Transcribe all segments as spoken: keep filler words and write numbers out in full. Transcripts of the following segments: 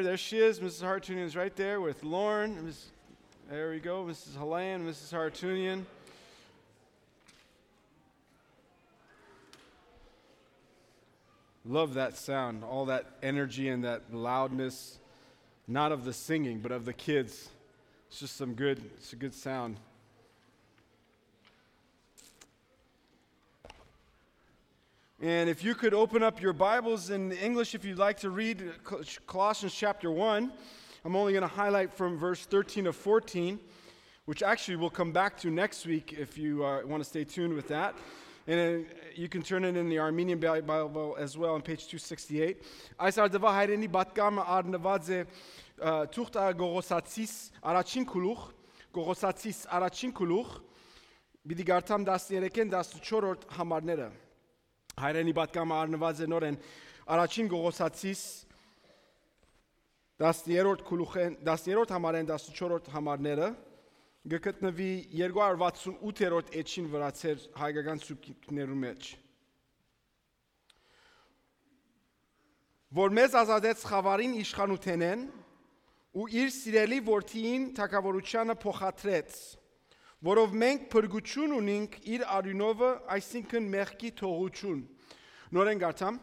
There she is. Missus Hartunian's right there with Lauren. Miss, there we go. Missus Halayan, Missus Hartunian. Love that sound, all that energy and that loudness, not of the singing, but of the kids. It's just some good, it's a good sound. And if you could open up your Bibles in English, if you'd like to read Col-, Colossians chapter one, I'm only gonna highlight from verse thirteen to fourteen, which actually we'll come back to next week if you, uh, wanna stay tuned with that. And, uh, you can turn it in the Armenian Bi-, Bible as well on page two sixty-eight. Այս արդուայ հայրենի պատկամը առնուած է, ը, թուղթ ա Կողոսացիս առաջին գլուխ, Կողոսացիս առաջին գլուխ, պիտի կարդամ տասներեքէն տասնչորրորդ համարները։ Հայրենի պատկամը առնուած է նորէն առաջին Կողոսացիս տասներորդ գլուխէն, տասներորդ համարէն տասնչորրորդ համարները, կը գտնուի երկու հարյուր վաթսուն ութերորդ էջին վրացեր հայկական սուբկիրքներու մեջ։ Որ մեզ ազատեց խաւարին իշխանութենէն ու իր սիրելի որդիին թագաւորութեանը փոխադրեց, որով մենք փրկութիւն ունինք իր արիւնովը, այսինքն՝ մեղքի թողութիւն։ Նորէն կարդամ.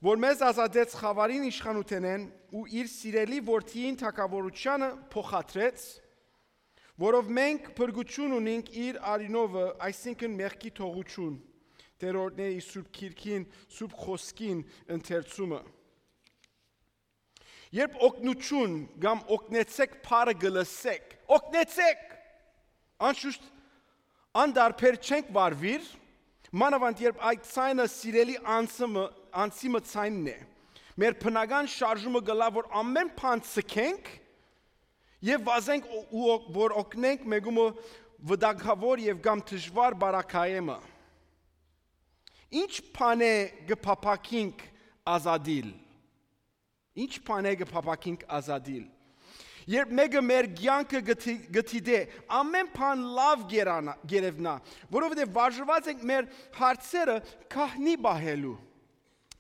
որ մեզ ազատեց խաւարին իշխանութենէն ու իր սիրելի որդիին թագաւորութեանը փոխադրեց, որով մենք փրկութիւն ունինք իր արիւնովը, այսինքն՝ մեղքի թողութիւն, Տէրոյթներու Սուրբ Գիրքին, Սուրբ Խօսքին ընթերցումը։ Երբ օգնութիւն կամ օգնեցեք բառը կը լսէք, օգնեցեք, անշուշտ, անդարբեր չենք վարուիր, մանաւանդ երբ այդ ձայնը սիրելի անձը մը, անձի մը ձայնն է։ Մեր բնական շարժումը կ'ըլլայ, որ ամէն բան ձգենք եւ վազենք ու, ու օգ-, որ օգնենք մէկումը վտանգաւոր եւ կամ դժուար բարակայէ մը։ Ինչ բանէ կը փափաքինք ազատիլ։ Ինչ բանէ կը փափաքինք ազատիլ։ Երբ մէկը մեր կեանքը կը դի-, կը դիտէ, ամէն բան լաւ կ'երանա-, կ'երեւնայ, որովհետեւ վարժուած ենք մեր հարցերը գահնի պահելու։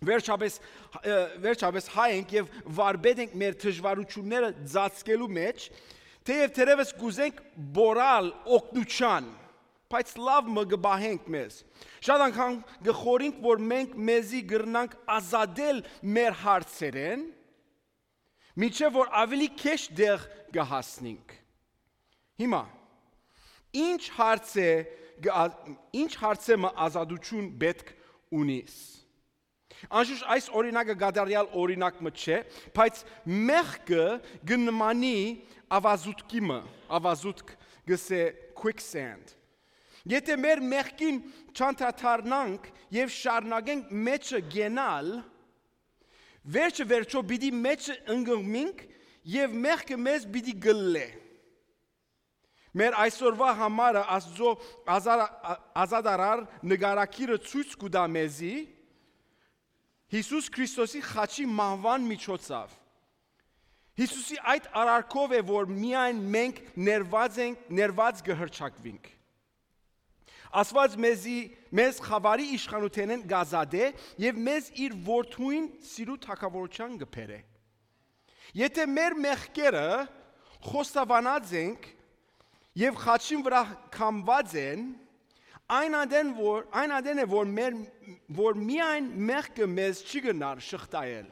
Վերջապէս, ը, վերջապէս հայ ենք եւ վարպետ ենք մեր դժուարութիւնները ծածկելու մէջ, թէեւ թերեւս կ'ուզենք բորալ օգնութեան, բայց լաւ մը կը պահենք մեզ։ Շատ անգամ կը խորհենք, որ մենք մեզի կրնանք ազատել մեր հարցերէն, մինչեւ որ աւելի քեշ տեղ կը հասնենք։ Հիմա, ինչ հարց է, կը-, ա-, ինչ հարցէ մը ազատութիւն պէտք ունիս։ Անշուշտ այս օրինակը կատարեալ օրինակ մը չէ, բայց մեղքը կը նմանի աւազուտքի մը, աւազուտք կ'ըսէ quicksand։ Եթէ մեր մեղքին չանդրադառնանք եւ շարունակենք մէջը կենալ, վերջը վերջոյ պիտի մէջը ընկղմինք եւ մեղքը մեզ պիտի կլլէ։ Մեր այսօրուայ համարը Աստուծոյ ազար-, ա-, ազատարար նկարագիրը ցոյց կու տայ մեզի Յիսուս Քրիստոսի խաչի մահուան միջոցաւ։ Յիսուսի այդ արարքով է, որ միայն մենք ներված ենք, ներված կը հռչակուինք։ Աստուած մեզի, մեզ խաւարի իշխանութենէն կ'ազատէ եւ մեզ իր որդւոյն սիրու թագաւորութեան կը բերէ։ Եթէ մեր մեղքերը խոստովանած ենք եւ խաչին վրայ կամուած են, այն ատեն որ, այն ատեն է, որ մեր, որ միայն մեղքը մեզ չի կրնար շղթայել։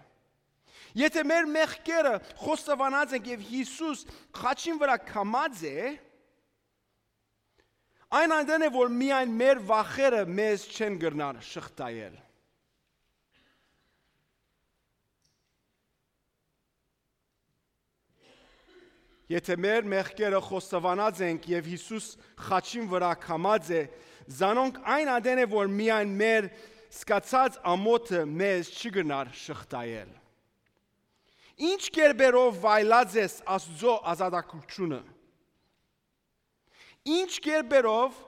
Եթէ մեր մեղքերը խոստովանած ենք եւ Յիսուս խաչին վրայ կամած է, այն ատեն է, որ միայն մեր վախերը մեզ չեն կրնար շղթայել։ Եթէ մեր մեղքերը խոստովանած ենք եւ Յիսուս խաչին վրայ կամած է, զանոնք այն ատեն է, որ միայն մեր սկացած ամոթը մեզ չի կրնար շղթայել։ Ինչ կերպերով վայելած ես Աստուծոյ ազատագրութիւնը։ Ինչ կերպերով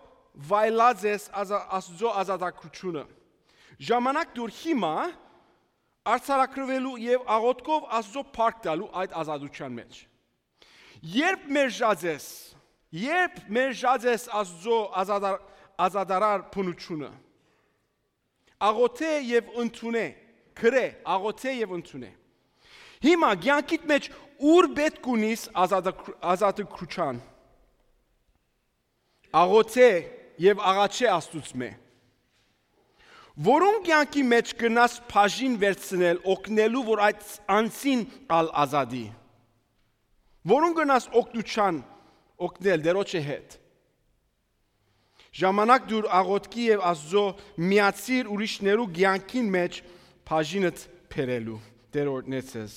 վայելած ես ազա-, Աստուծոյ ազատագրութիւնը։ Ժամանակ դուր հիմա արձանագրուելու եւ աղօթքով Աստուծոյ փառք տալու այդ ազատութեան մէջ։ Երբ մերժած ես, երբ մերժած ես Աստուծոյ ազատար-, ազատարար բնութիւնը, աղօթէ եւ ընդունէ, գրէ, աղօթէ եւ ընդունէ։ Հիմա կեանքիդ մէջ ո՞ւր պէտք ունիս ազատակր-, ազատագրութիւն։ Աղօթէ եւ աղաչէ Աստուծմէ։ Որուն կեանքի մէջ կրնաս բաժին վերցնել, օգնելու, որ այդ անձին ալ ազատի։ Որուն կրնաս օգնութեան օգնել Տիրոջը հետ։ Ժամանակ տուր աղօթքի եւ Աստուծոյ միացիր ուրիշներու կեանքին մէջ բաժինդ բերելու։ Տէր օրհնեցես։